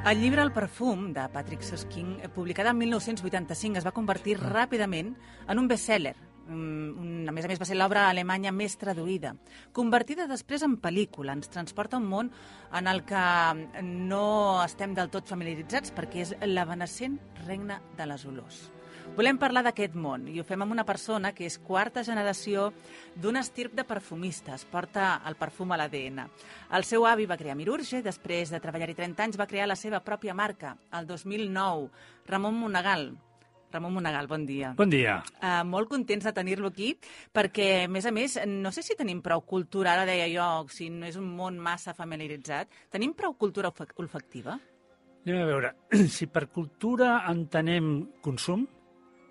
El llibre El perfum, de Patrick Süskind, publicat el 1985, es va convertir ràpidament en un best-seller. A més, va ser l'obra alemanya més traduïda. Convertida després en pel·lícula, ens transporta un món en el que no estem del tot familiaritzats perquè és l'evanescent regne de les olors. Volem parlar d'aquest món i ho fem amb una persona que és quarta generació d'un estirp de perfumistes. Porta el perfum a l'ADN. El seu avi va crear Mirurge i després de treballar-hi 30 anys va crear la seva pròpia marca, el 2009. Ramon Monegal. Ramon Monegal, bon dia. Bon dia. Molt contents de tenir-lo aquí perquè, a més, no sé si tenim prou cultura, ara deia jo, si no és un món massa familiaritzat, tenim prou cultura olfactiva? Anem a veure, si per cultura entenem consum,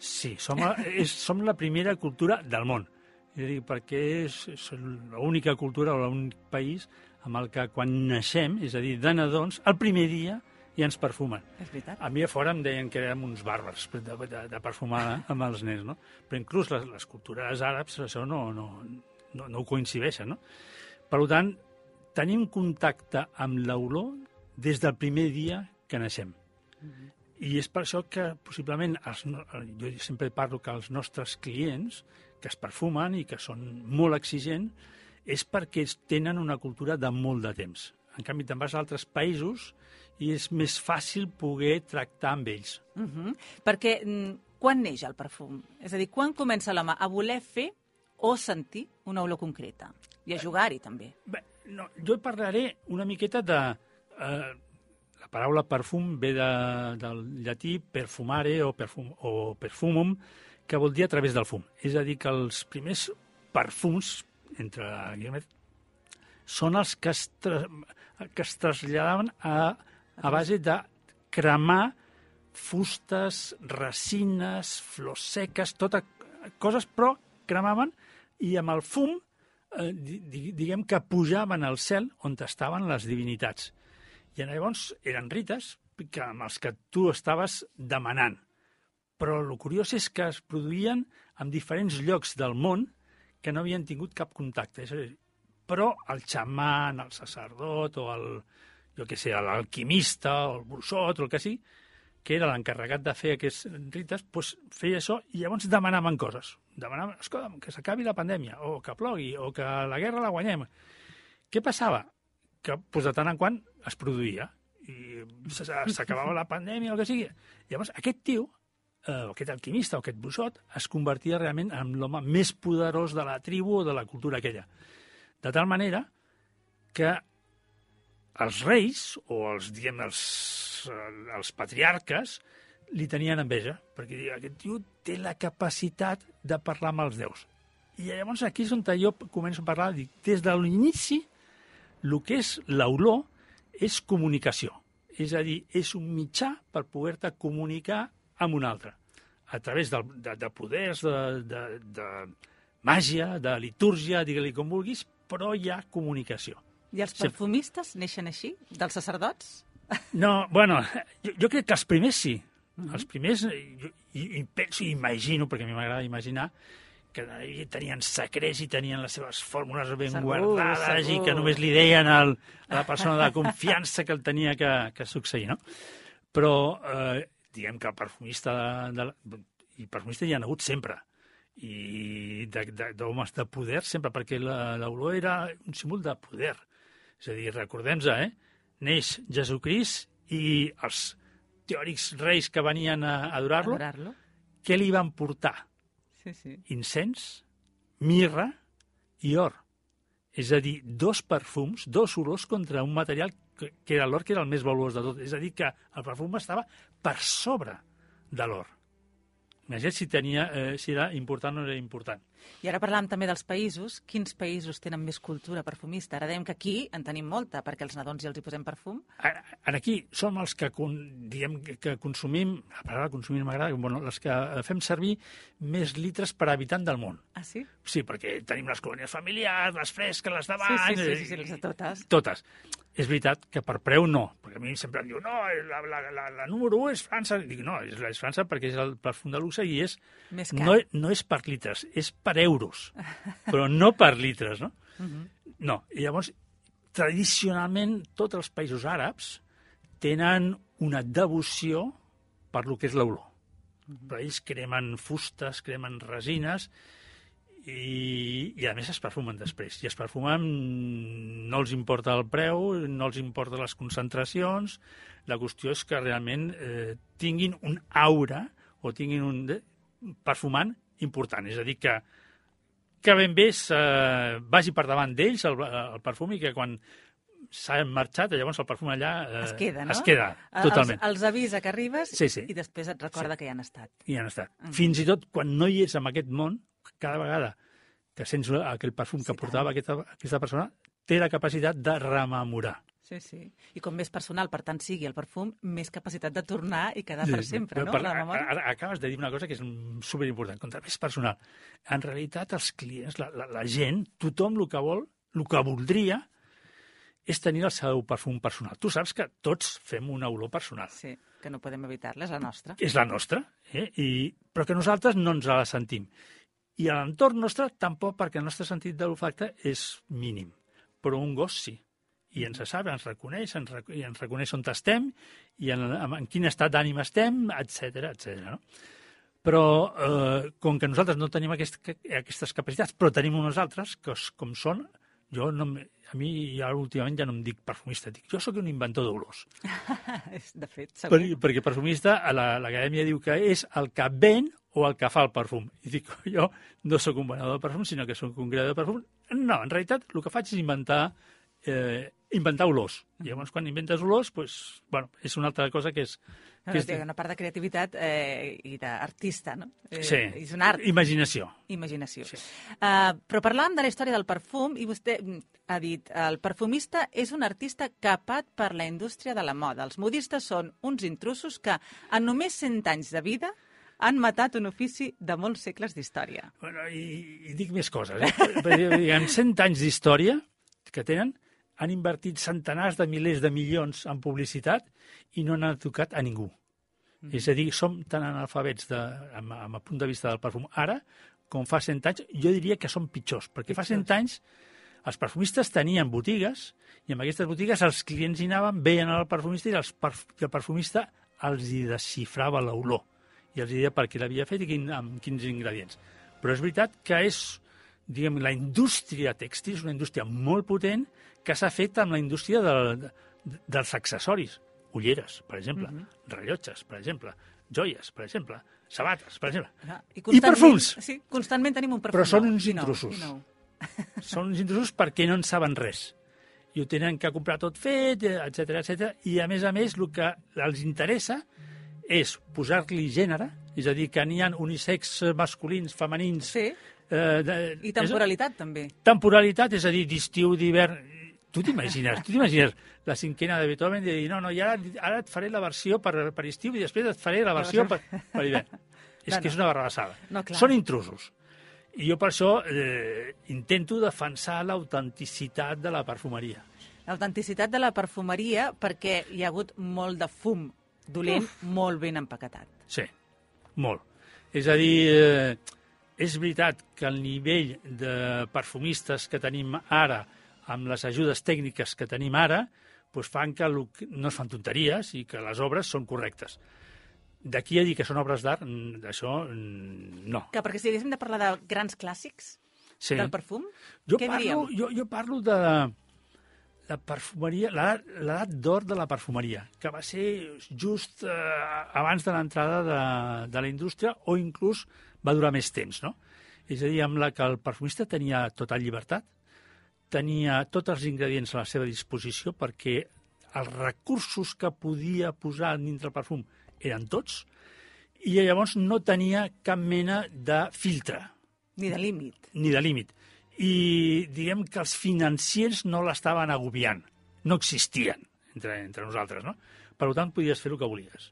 sí, som la primera cultura del món. És a dir, perquè és l'única cultura o l'únic país amb el que quan naixem, és a dir, de nadons, el primer dia ja ens perfumen. És veritat. A mi a fora em deien que érem uns bàrbars de perfumar amb els nens, no? Però inclús les cultures àrabs això no ho coincideixen, no? Per tant, tenim contacte amb l'olor des del primer dia que naixem. I és per això que possiblement, jo sempre parlo que els nostres clients que es perfumen i que són molt exigents és perquè tenen una cultura de molt de temps. En canvi, te'n vas a altres països i és més fàcil poder tractar amb ells. Perquè quan neix el perfum? És a dir, quan comença l'home a voler fer o sentir una olor concreta? I a jugar-hi, també. Bé, no, jo parlaré una miqueta de... la paraula perfum ve del llatí perfumare o perfumum, que vol dir a través del fum. És a dir, que els primers perfums, entre guillemets, són els que es traslladaven a base de cremar fustes, resines, flors seques, totes coses, però cremaven i amb el fum, diguem que pujaven al cel on estaven les divinitats. I llavors eren rites amb els que tu estaves demanant. Però el curiós és que es produïen en diferents llocs del món que no havien tingut cap contacte. Però el xaman, el sacerdot o l'alquimista o el bruixot o el que sigui, que era l'encarregat de fer aquests rites, doncs feia això i llavors demanaven coses. Demanaven, escolta, que s'acabi la pandèmia, o que plogui, o que la guerra la guanyem. Què passava? Que de tant en quant es produïa i s'acabava la pandèmia o el que sigui. Llavors aquest tio, aquest alquimista o aquest bruixot, es convertia realment en l'home més poderós de la tribu o de la cultura aquella. De tal manera que els reis o els patriarques li tenien enveja, perquè aquest tio té la capacitat de parlar amb els déus. I llavors aquí és on jo començo a parlar, dic, des de l'inici, el que és l'olor és comunicació. És a dir, és un mitjà per poder-te comunicar amb un altre. A través de poders, de màgia, de litúrgia, digue-li com vulguis, però hi ha comunicació. I els perfumistes neixen així? Dels sacerdots? No, bueno, jo crec que els primers sí. Els primers, i penso i imagino, perquè a mi m'agrada imaginar, que tenien secrets i tenien les seves fórmules ben guardades i que només li deien a la persona de confiança que el tenia que succeir, no? Però diguem que el perfumista i perfumista hi ha hagut sempre, i d'homes de poder sempre, perquè l'olor era un símbol de poder. És a dir, recordem-nos, neix Jesucrist i els teòrics reis que venien a adorar-lo, què li van portar? Sí. Incens, mirra i or. És a dir, dos perfums, dos olors contra un material que era l'or, que era el més valuós de tot. És a dir, que el perfum estava per sobre de l'or. Imagina't si era important o no era important. I ara parlàvem també dels països. Quins països tenen més cultura perfumista? Ara dèiem que aquí en tenim molta, perquè els nadons ja els hi posem perfum. Aquí som els que, diguem, que consumim, la paraula consumir m'agrada, els que fem servir més litres per habitant del món. Ah, sí? Sí, perquè tenim les colònies familiars, les fresques, les de bany... Sí, les de totes. Totes. És veritat que per preu no, perquè a mi sempre em diu no, la número 1 és França. Dic, no, és França perquè és el perfum de luxe i és més car. No és per litres, és per euros, però no per litres, no? No, i llavors, tradicionalment, tots els països àrabs tenen una devoció per lo que és l'olor. Però ells cremen fustes, cremen resines, i a més es perfumen després. I es perfumen, no els importa el preu, no els importa les concentracions, la qüestió és que realment tinguin un aura o tinguin un perfumant important. És a dir, que ben bé vagi per davant d'ells el perfum i que quan s'ha marxat, llavors el perfum allà es queda, no? Es queda, totalment. Els avisa que arribes i després et recorda que hi han estat. Hi han estat. Fins i tot quan no hi ets en aquest món, cada vegada que sents aquell perfum que portava aquesta persona, té la capacitat de rememorar. Sí, sí. I com més personal, per tant, sigui el perfum, més capacitat de tornar i quedar per sempre, no? Ara acabes de dir una cosa que és superimportant. Contra més personal. En realitat, els clients, la gent, tothom el que vol, el que voldria, és tenir el seu perfum personal. Tu saps que tots fem una olor personal. Sí, que no podem evitar-la, és la nostra. És la nostra, però que nosaltres no ens la sentim. I a l'entorn nostre tampoc, perquè el nostre sentit de l'olfacte és mínim. Però un gos sí. I ens sap, ens reconeix on estem i en quin estat d'ànim estem, etc. No? Però com que nosaltres no tenim aquestes capacitats, però tenim unes altres, que com són, a mi últimament ja no em dic perfumista, jo sóc un inventor d'olors. De fet, segur. Perquè perfumista, l'acadèmia diu que és el que ven o el que fa el perfum. I dic, jo no sóc un venedor de perfum, sinó que sóc un creador de perfum. No, en realitat, el que faig és inventar olors. I llavors, quan inventes olors, és una altra cosa que és... Té una part de creativitat i d'artista, no? Sí, és un art. Imaginació. Sí. Però parlàvem de la història del perfum i vostè ha dit el perfumista és un artista capat per la indústria de la moda. Els modistes són uns intrusos que en només 100 anys de vida han matat un ofici de molts segles d'història. I dic més coses. En 100 anys d'història que tenen, han invertit centenars de milers de milions en publicitat i no n'han tocat a ningú. És a dir, som tan analfabets amb el punt de vista del perfum ara com fa 100 anys. Jo diria que són pitjors, perquè fa 100 anys els perfumistes tenien botigues i en aquestes botigues els clients hi anaven, veien el perfumista i el perfumista els hi desxifrava l'olor i els deia per què l'havia fet i amb quins ingredients. Però és veritat que la indústria tèxtil és una indústria molt potent que s'ha fet amb la indústria dels accessoris. Ulleres, per exemple, rellotges, per exemple, joies, per exemple, sabates, per exemple. I perfums. Sí, constantment tenim un perfum. Però són uns intrusos. Són uns intrusos perquè no en saben res. I ho tenen que comprar tot fet, etc. I, a més, el que els interessa és posar-li gènere, és a dir, que n'hi ha unisex masculins, femenins... Sí, i temporalitat, també. Temporalitat, és a dir, d'estiu, d'hivern... Tu t'imagines la cinquena de Beethoven de dir, no, i ara et faré la versió per estiu i després et faré la versió per hivern. És que és una barrabassada. Són intrusos. I jo per això intento defensar l'autenticitat de la perfumeria. L'autenticitat de la perfumeria perquè hi ha hagut molt de fum dolent, molt ben empaquetat. Sí, molt. És a dir, és veritat que el nivell de perfumistes que tenim ara, amb les ajudes tècniques que tenim ara, fan que no es fan tonteries i que les obres són correctes. D'aquí a dir que són obres d'art, d'això no. Perquè si haguéssim de parlar de grans clàssics del perfum, què diríem? Jo parlo de la perfumeria, l'edat d'or de la perfumeria, que va ser just abans de l'entrada de la indústria o inclús va durar més temps, no? És a dir, amb la que el perfumista tenia total llibertat, tenia tots els ingredients a la seva disposició perquè els recursos que podia posar dintre el perfum eren tots i llavors no tenia cap mena de filtre. Ni de límit. Ni de límit. I diguem que els financiers no l'estaven agobiant. No existien entre nosaltres, no? Per tant, podies fer el que volies.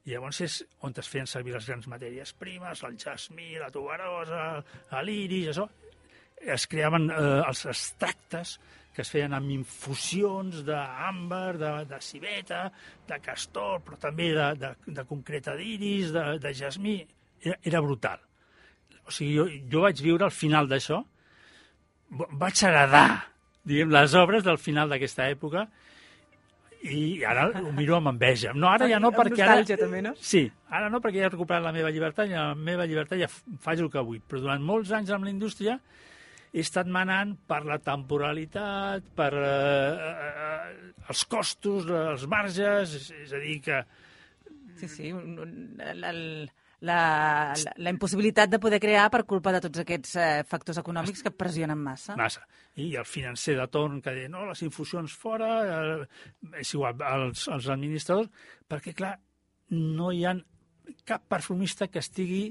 I llavors és on es feien servir les grans matèries primes, el jasmí, la tuberosa, l'iris, això. Es creaven els extractes que es feien amb infusions d'àmbar, de civeta, de castor, però també de concreta d'iris, de jasmí. Era brutal. O sigui, jo vaig viure al final d'això, vaig heredar, diguem, les obres del final d'aquesta època, i ara ho miro amb enveja. No, ara ja no, perquè ara... Amb nostàlgia, també, no? Sí, ara no, perquè ja he recuperat la meva llibertat, i la meva llibertat ja faig el que vull. Però durant molts anys amb la indústria he estat manant per la temporalitat, per els costos, els marges, és a dir que... Sí, la impossibilitat de poder crear per culpa de tots aquests factors econòmics que pressionen massa. Massa. I el financer de torn que deia, no, les infusions fora, és igual, els administradors, perquè, clar, no hi ha cap perfumista que estigui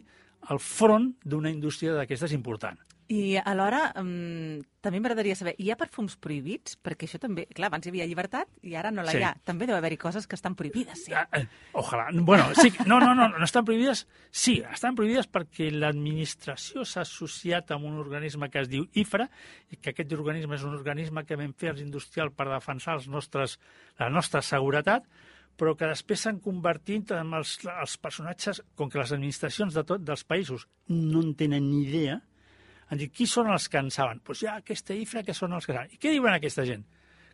al front d'una indústria d'aquestes important. I alhora, també m'agradaria saber, hi ha perfums prohibits? Perquè això també, clar, abans hi havia llibertat i ara no la hi ha. També deu haver-hi coses que estan prohibides, sí. Ojalà. Bueno, sí, no estan prohibides. Sí, estan prohibides perquè l'administració s'ha associat amb un organisme que es diu IFRA, i que aquest organisme és un organisme que vam fer els industrials per defensar la nostra seguretat, però que després s'han convertit en els personatges, com que les administracions dels països no en tenen ni idea, han dit, qui són els que en saben? Doncs hi ha aquesta IFRA que són els que saben. I què diuen aquesta gent?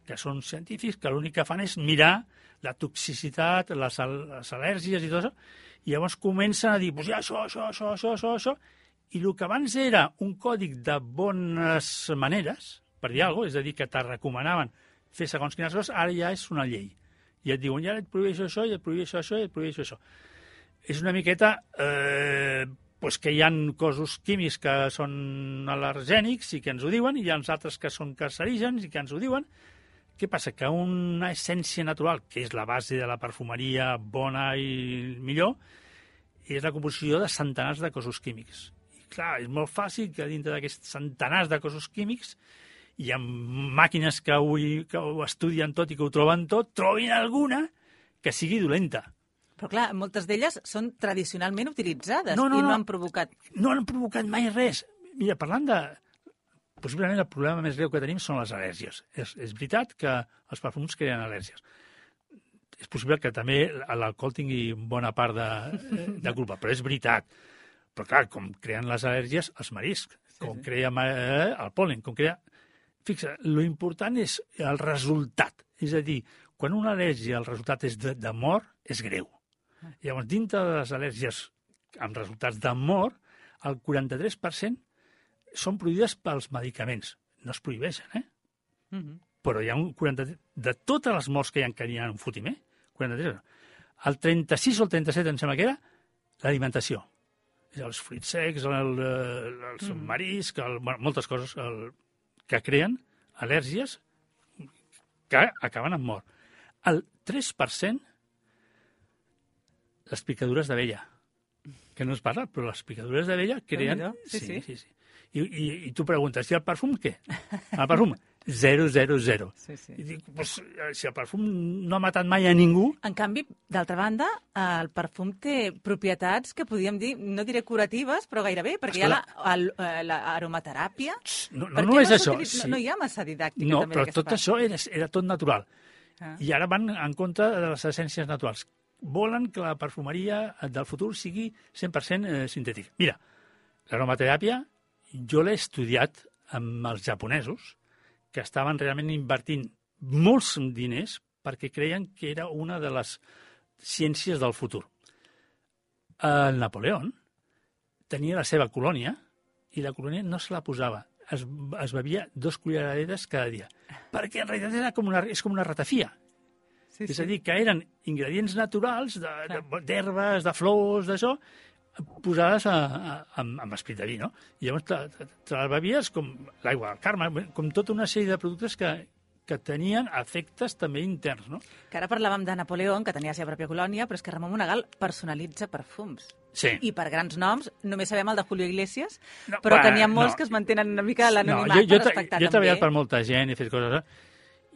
Que són científics, que l'únic que fan és mirar la toxicitat, les al·lèrgies i tot això, i llavors comencen a dir, doncs hi ha això, i el que abans era un còdic de bones maneres, per dir alguna cosa, és a dir, que te recomanaven fer segons quines coses, ara ja és una llei. I et diuen, ja et prohibeixo això, i et prohibeixo això, i et prohibeixo això. És una miqueta... pues que hi ha cossos químics que són al·lergènics i que ens ho diuen, i hi ha altres que són cancerígens i que ens ho diuen. Què passa? Que una essència natural, que és la base de la perfumeria bona i millor, és la composició de centenars de cossos químics. I clar, és molt fàcil que dintre d'aquests centenars de cossos químics hi ha màquines que ho estudien tot i que ho troben tot, trobin alguna que sigui dolenta. Però clar, moltes d'elles són tradicionalment utilitzades i no han provocat... No han provocat mai res. Mira, parlant de... Possiblement el problema més greu que tenim són les al·lèrgies. És veritat que els perfums creen al·lèrgies. És possible que també l'alcohol tingui bona part de culpa, però és veritat. Però clar, com creen les al·lèrgies, els mariscs, com crea el pol·len, com crea... Fixa, l'important és el resultat. És a dir, quan una al·lèrgia el resultat és de mort, és greu. Llavors, dintre de les al·lèrgies amb resultats de mort, el 43% són prohibides pels medicaments. No es prohibeixen, Però hi ha un 43%... De totes les morts que hi ha en un fotimer, 43%. El 36 o el 37, em sembla que era, l'alimentació. Els fruits secs, els mariscs, moltes coses que creen al·lèrgies que acaben amb mort. El 3%, les picadures d'abella, que no es parla, però les picadures d'abella creen... Sí. I tu preguntes, i el perfum què? El perfum, 000. Sí. I dic, doncs, si el perfum no ha matat mai a ningú... En canvi, d'altra banda, el perfum té propietats que podríem dir, no diré curatives, però gairebé, perquè hi ha l'aromateràpia. No només això. No hi ha massa didàctica. No, però tot això era tot natural. I ara van en contra de les essències naturals. Volen que la perfumeria del futur sigui 100% sintètica. Mira, l'aromateràpia jo l'he estudiat amb els japonesos, que estaven realment invertint molts diners perquè creien que era una de les ciències del futur. El Napoleó tenia la seva colònia i la colònia no se la posava. Es bevia 2 culleradetes cada dia, perquè en realitat és com una ratafia. És a dir, que eren ingredients naturals d'herbes, de flors, d'això, posades amb esperit de vi, no? I llavors te les bevies com l'aigua del Carme, com tota una sèrie de productes que tenien efectes també interns, no? Que ara parlàvem de Napoleó, que tenia la seva pròpia colònia, però és que Ramon Monegal personalitza perfums. Sí. I per grans noms, només sabem el de Julio Iglesias, No, però bueno, que n'hi ha molts no. que es mantenen una mica a l'anonimat jo per respectar he treballat també. per molta gent, he fet coses...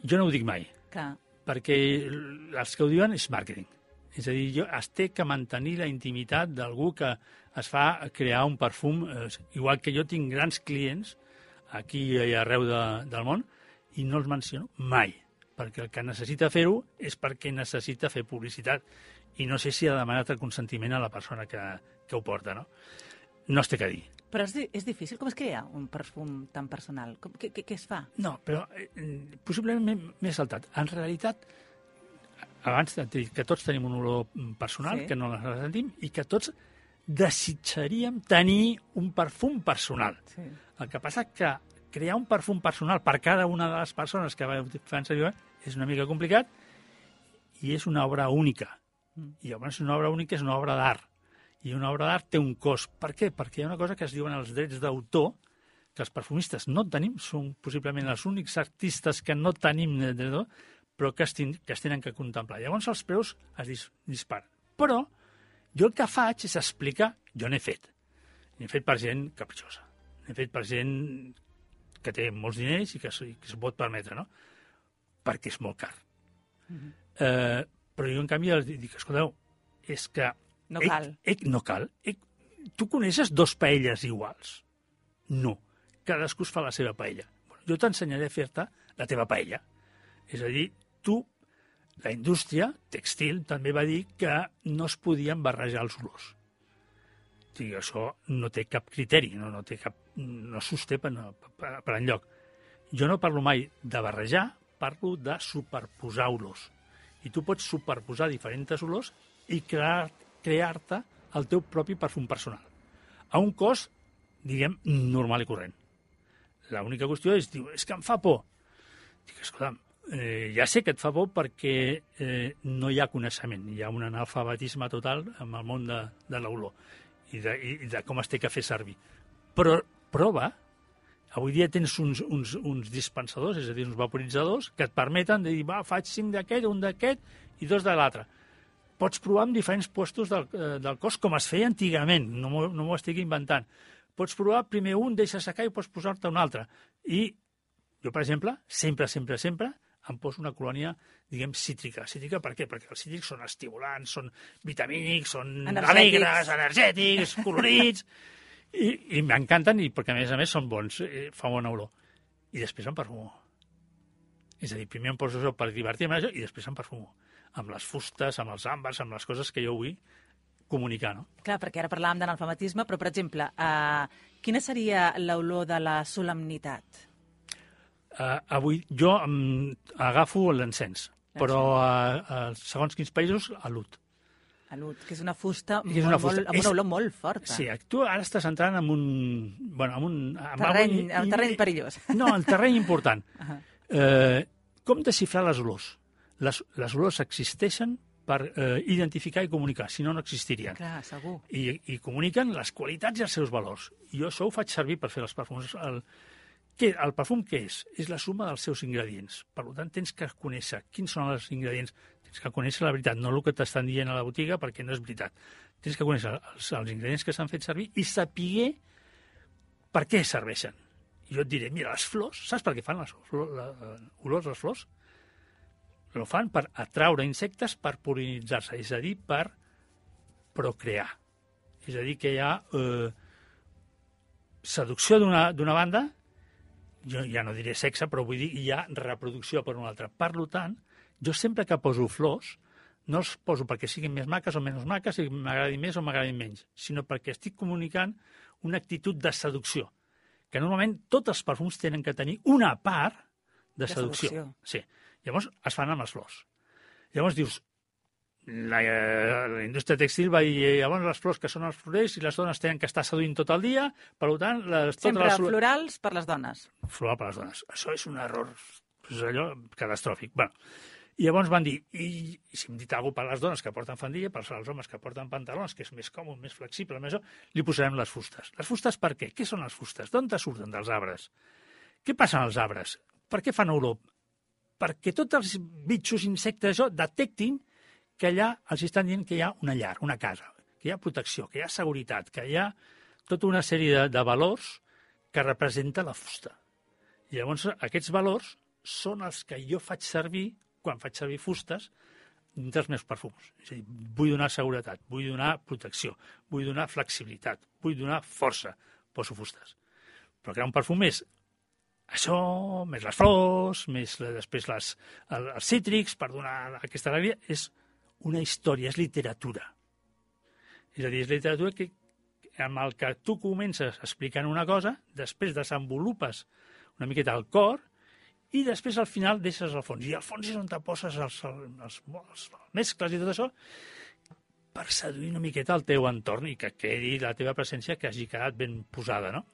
Jo no ho dic mai, Clar. perquè els que ho diuen és màrqueting. És a dir, es té que mantenir la intimitat d'algú que es fa crear un perfum, igual que jo tinc grans clients aquí i arreu del món, i no els menciono mai, perquè el que necessita fer-ho és perquè necessita fer publicitat, i no sé si ha demanat el consentiment a la persona que ho porta, no? No es té que dir. Però és difícil. Com es crea un perfum tan personal? Què es fa? No, però possiblement m'he saltat. En realitat, abans t'he dit que tots tenim un olor personal, Sí. que no la sentim, i que tots desitjaríem tenir un perfum personal. Sí. El que passa que crear un perfum personal per cada una de les persones que fan servir és una mica complicat i és una obra única. I llavors una obra única és una obra d'art. I una obra d'art té un cost. Per què? Perquè hi ha una cosa que es diuen els drets d'autor, que els perfumistes no tenim, són possiblement els únics artistes que no tenim drets d'autor, però que es tenen que contemplar. Llavors els preus es disparen. Però jo el que faig és explicar, jo n'he fet. N'he fet per gent capritxosa. N'he fet per gent que té molts diners i que s'ho pot permetre, no? Perquè és molt car. Però jo, en canvi, els dic, escolteu, és que... No cal. No cal. Tu coneixes dos paelles iguals? No. Cadascú es fa la seva paella. Bueno, jo t'ensenyaré a fer-te la teva paella. És a dir, la indústria textil també va dir que no es podien barrejar els olors. O sigui, això no té cap criteri, no sosté per enlloc. Jo no parlo mai de barrejar, parlo de superposar olors. I tu pots superposar diferents olors i crear-te el teu propi perfum personal. A un cost, diguem, normal i corrent. L'única qüestió és, diu, és que em fa por. Dic, escolta'm, ja sé que et fa por perquè no hi ha coneixement, hi ha un analfabetisme total en el món de l'olor i de com es té que fer servir. Però prova, avui dia tens uns dispensadors, és a dir, uns vaporitzadors, que et permeten de dir, va, faig 5 d'aquest, un d'aquest i 2 de l'altre. Pots provar en diferents puestos del cos, com es feia antigament, no m'ho estic inventant. Pots provar primer un, deixa secar i pots posar-te un altre. I jo, per exemple, sempre em poso una colònia, diguem, cítrica. Cítrica per què? Perquè els cítrics són estimulants, són vitamínics, són alegres, energètics, colorits, i m'encanten, perquè a més són bons, fa bona olor. I després em perfumo. És a dir, primer em poso això per divertir-me i després em perfumo. Amb les fustes, amb els àmbars, amb les coses que jo vull comunicar, no? Clar, perquè ara parlàvem d'analfabetisme, però, per exemple, quina seria l'olor de la solemnitat? Avui jo agafo l'encens, però segons quins països, l'oud. L'oud, que és una fusta amb una olor molt forta. Sí, tu ara estàs entrant en un terreny perillós. No, el terreny important. Com desxifrar les olors? Les olors existeixen per identificar i comunicar, si no, no existirien. Clar, segur. I comuniquen les qualitats i els seus valors. I jo això ho faig servir per fer els perfums. El perfum què és? És la suma dels seus ingredients. Per tant, tens que conèixer quins són els ingredients. Tens que conèixer la veritat, no el que t'estan dient a la botiga, perquè no és veritat. Tens que conèixer els ingredients que s'han fet servir i saber per què serveixen. I jo et diré, mira, les flors, saps per què fan les olors les flors? Ho fan per atraure insectes per pol·linitzar-se, és a dir, per procrear. És a dir, que hi ha seducció d'una banda, jo ja no diré sexe, però vull dir hi ha reproducció per una altra. Per tant, jo sempre que poso flors, no els poso perquè siguin més maques o menys maques, si m'agradin més o m'agradin menys, sinó perquè estic comunicant una actitud de seducció, que normalment tots els perfums tenen que tenir una part de seducció. Sí. Llavors es fan amb les flors. Llavors dius, la indústria textil va dir, llavors les flors que són els florers i les dones tenen que estar seduint tot el dia, per tant... Sempre florals per les dones. Floral per les dones. Això és un error, és allò catastròfic. Bueno, i llavors van dir, i si hem dit alguna per les dones que porten faldilla, per als homes que porten pantalons, que és més còmode, més flexible, més li posarem les fustes. Les fustes per què? Què són les fustes? D'on surten? Dels arbres. Què passa als arbres? Per què fan olor? Perquè tots els bitxos, insectes, detectin que allà els estan dient que hi ha una llar, una casa, que que hi ha protecció, que hi ha seguretat, que hi ha tota una sèrie de valors que representa la fusta. I llavors aquests valors són els que jo faig servir quan faig servir fustes dels meus perfums. És a dir, vull donar seguretat, vull donar protecció, vull donar flexibilitat, vull donar força, poso fustes. Però crear un perfum és això, més les flors, més després els cítrics, per donar aquesta alegria, és una història, és literatura. És a dir, és literatura que, amb el que tu comences explicant una cosa, després desenvolupes una miqueta el cor i després al final deixes el fons. I al fons és on te poses els mescles i tot això per seduir una miqueta el teu entorn i que quedi la teva presència que hagi quedat ben posada, no?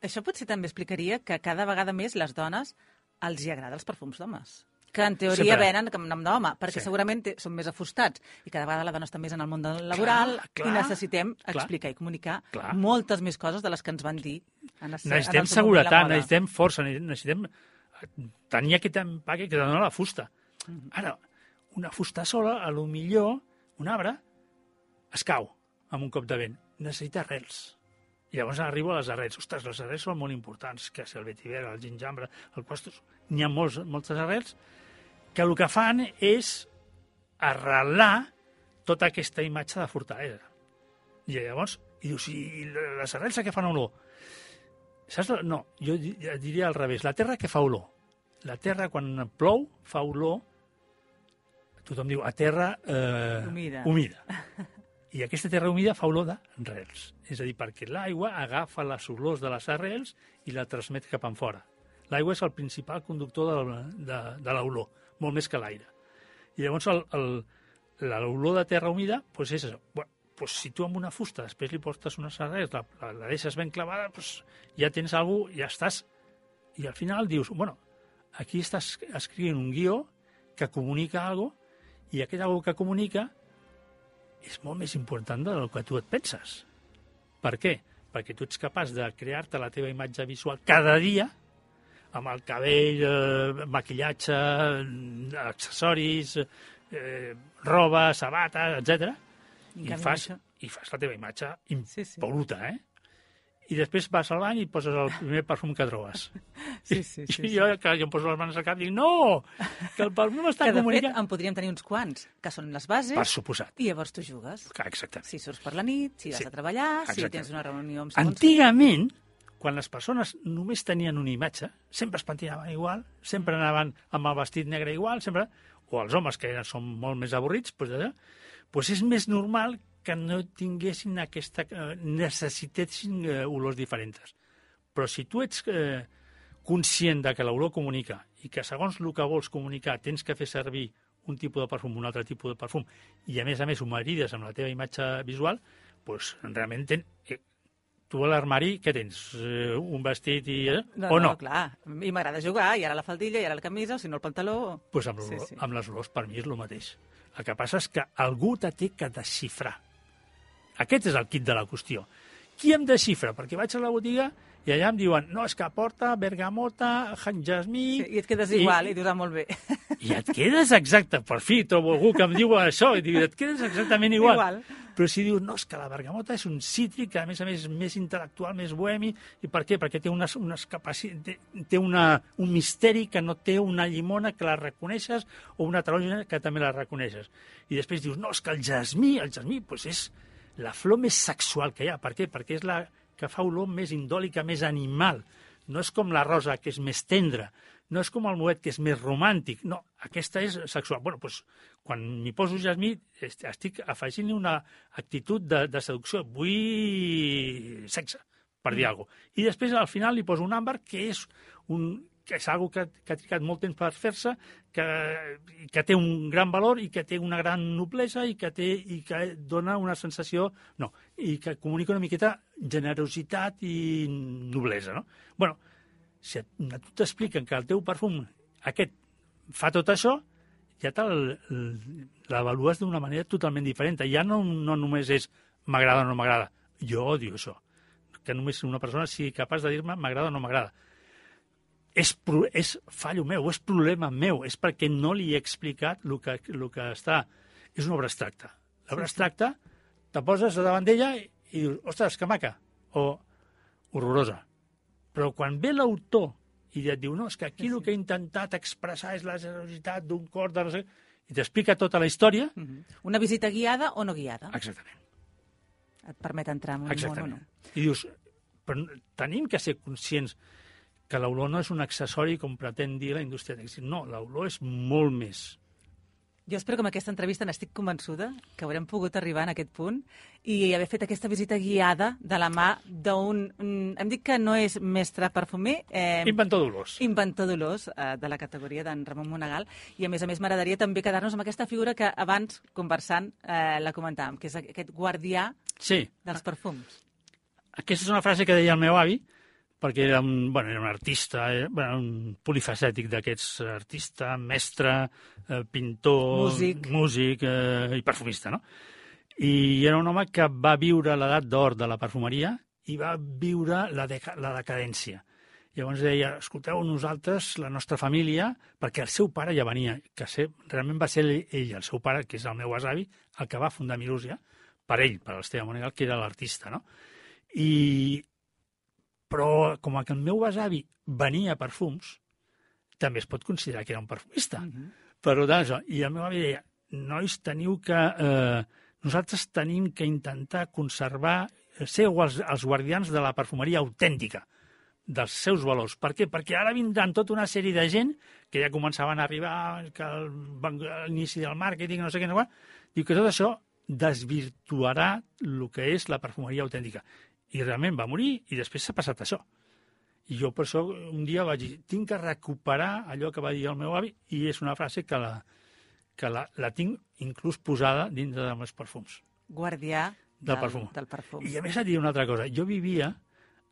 Això potser també explicaria que cada vegada més les dones els hi agraden els perfums d'homes. Que en teoria venen amb nom d'home, perquè segurament són més afustats. I cada vegada la dona està més en el món laboral i necessitem explicar i comunicar moltes més coses de les que ens van dir. Necessitem seguretat, necessitem força, necessitem tenir aquest empaque que dona la fusta. Ara, una fusta sola, a lo millor, un arbre, es cau amb un cop de vent. Necessita arrels. I llavors arribo a les arrels. Ostres, les arrels són molt importants, que si el vetiver, el gingembre, el costos... N'hi ha moltes arrels que el que fan és arrelar tota aquesta imatge de fortalesa. I llavors, i dius, i les arrels a què fan olor? Saps? No, jo diria al revés. La terra que fa olor? La terra, quan plou, fa olor, tothom diu, a terra humida. I aquesta terra humida fa olor d'arrels. És a dir, perquè l'aigua agafa les olors de les arrels i la transmet cap enfora. L'aigua és el principal conductor de l'olor, molt més que l'aire. I llavors l'olor de terra humida és això. Bueno, si tu amb una fusta després li portes unes arrels, la deixes ben clavada, ja tens alguna cosa, ja estàs... I al final dius, bueno, aquí estàs escrivint un guió que comunica alguna cosa i aquest alguna cosa que comunica és molt més important del que tu et penses. Per què? Perquè tu ets capaç de crear-te la teva imatge visual cada dia amb el cabell, maquillatge, accessoris, roba, sabates, etc. I fas la teva imatge impol·luta, I després vas al bany i poses el primer perfum que trobes. Sí. Jo em poso les mans al cap i dic, no, que el perfum està comunicant. Que de fet en podríem tenir uns quants, que són les bases. Per suposat. I llavors tu jugues. Exactament. Si surts per la nit, si vas a treballar, si tens una reunió amb... Antigament, quan les persones només tenien una imatge, sempre es pentinaven igual, sempre anaven amb el vestit negre igual, sempre... o els homes, que són molt més avorrits, doncs és més normal que no tinguessin aquesta... necessitessin olors diferents. Però si tu ets conscient de que l'olor comunica i que segons el que vols comunicar tens que fer servir un tipus de perfum, un altre tipus de perfum, i a més ho marides amb la teva imatge visual, doncs realment tu a l'armari, què tens? Un vestit i... o no? No, clar. I m'agrada jugar, i ara la faldilla, i ara la camisa, o si no el pantaló... Doncs amb les olors, per mi és el mateix. El que passa és que algú te té que desxifrar. Aquest és el kit de la qüestió. Qui em desxifra? Perquè vaig a la botiga i allà em diuen, no, és que porta bergamota, jasmí... Sí, i et quedes igual, i dius, molt bé. I et quedes exacte, per fi trobo algú que em diu això, i diu, et quedes exactament igual. Però si dius, no, és que la bergamota és un cítric, que a més és més intel·lectual, més bohemi, i per què? Perquè té té un misteri que no té una llimona que la reconeixes o una taronja que també la reconeixes. I després dius, no, és que el jasmí doncs és la flor més sexual que hi ha. Per què? Perquè és la que fa olor més indòlica, més animal. No és com la rosa, que és més tendra. No és com el moet, que és més romàntic. No, aquesta és sexual. Bueno, doncs, quan m'hi poso jasmí, estic afegint una actitud de seducció. Vull sexe, per dir alguna cosa. I després, al final, li poso un àmbar, que és algo que ha trigat molt temps per fer-se, que té un gran valor i que té una gran noblesa i que dona una sensació... No, i que comunica una miqueta generositat i noblesa, no? Bueno, si a tu t'expliquen que el teu perfum aquest fa tot això, ja l'avalues d'una manera totalment diferent. Ja no només és m'agrada o no m'agrada. Jo odio això. Que només una persona sigui capaç de dir-me m'agrada o no m'agrada. És fallo meu, és problema meu, és perquè no li he explicat el que està... És una obra abstracta. L'obra abstracta te poses davant d'ella i dius, ostres, que maca, o horrorosa. Però quan ve l'autor i et diu, no, és que aquí el que he intentat expressar és la generositat d'un cor de no sé, i t'explica tota la història... Una visita guiada o no guiada. Exactament. Et permet entrar en un món o no. I dius, però tenim que ser conscients que l'olor no és un accessori com pretén dir la indústria tèxtil. No, l'olor és molt més. Jo espero que amb aquesta entrevista n'estic convençuda que haurem pogut arribar en aquest punt i haver fet aquesta visita guiada de la mà d'un... Hem dit que no és mestre perfumer... Inventor d'olors. Inventor d'olors, de la categoria d'en Ramon Monegal. I a més m'agradaria també quedar-nos amb aquesta figura que abans, conversant, la comentàvem, que és aquest guardià dels perfums. Aquesta és una frase que deia el meu avi, perquè era un artista, un polifacètic d'aquests, artista, mestre, pintor, músic i perfumista, no? I era un home que va viure l'edat d'or de la perfumeria i va viure la decadència. Llavors deia, escolteu, nosaltres, la nostra família, perquè el seu pare ja venia, realment va ser ell, el seu pare, que és el meu besavi, el que va fundar Milúsia, per ell, per l'Esteve Monegal, que era l'artista, no? Però com que el meu besavi venia perfums, també es pot considerar que era un perfumista. Per tant, i el meu avi deia, nois, nosaltres tenim que intentar conservar, ser els guardians de la perfumeria autèntica, dels seus valors. Per què? Perquè ara vindran tota una sèrie de gent que ja començaven a arribar, que a l'inici del màrqueting, no sé què, diu que tot això desvirtuarà el que és la perfumeria autèntica. I realment va morir i després s'ha passat això. I jo per això un dia vaig dir, tinc que recuperar allò que va dir el meu avi i és una frase que la tinc inclús posada dintre dels meus perfums. Guardià del perfum. I a més et diré una altra cosa. Jo vivia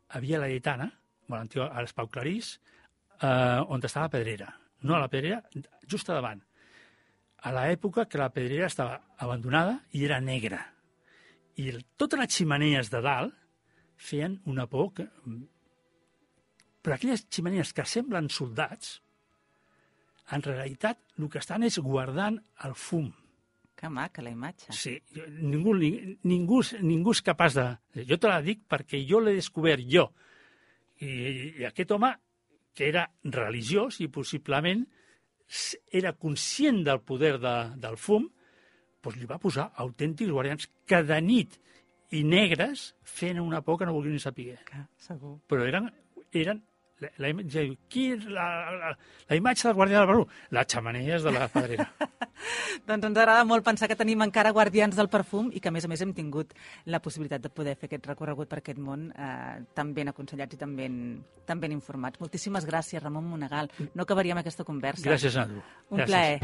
a Via Laietana, a l'Espau Clarís, on estava la Pedrera. No, la Pedrera just a davant. A l'època que la Pedrera estava abandonada i era negra. I totes les ximeneies de dalt feien una por que... Però aquelles ximeneies que semblen soldats, en realitat el que estan és guardant el fum. Que maca, la imatge. Sí, ningú és capaç de... Jo te la dic perquè jo l'he descobert jo. I aquest home, que era religiós i possiblement era conscient del poder del fum, doncs li va posar autèntics guardians que de nit i negres feien una por que no volien ni saber. Segur. Però eren la imatge del guardià del perfum, les xemeneies de la Pedrera. Doncs ens agrada molt pensar que tenim encara guardians del perfum i que, a més hem tingut la possibilitat de poder fer aquest recorregut per aquest món tan ben aconsellats i tan ben informats. Moltíssimes gràcies, Ramon Monegal. No acabaríem aquesta conversa. Gràcies a tu. Un plaer.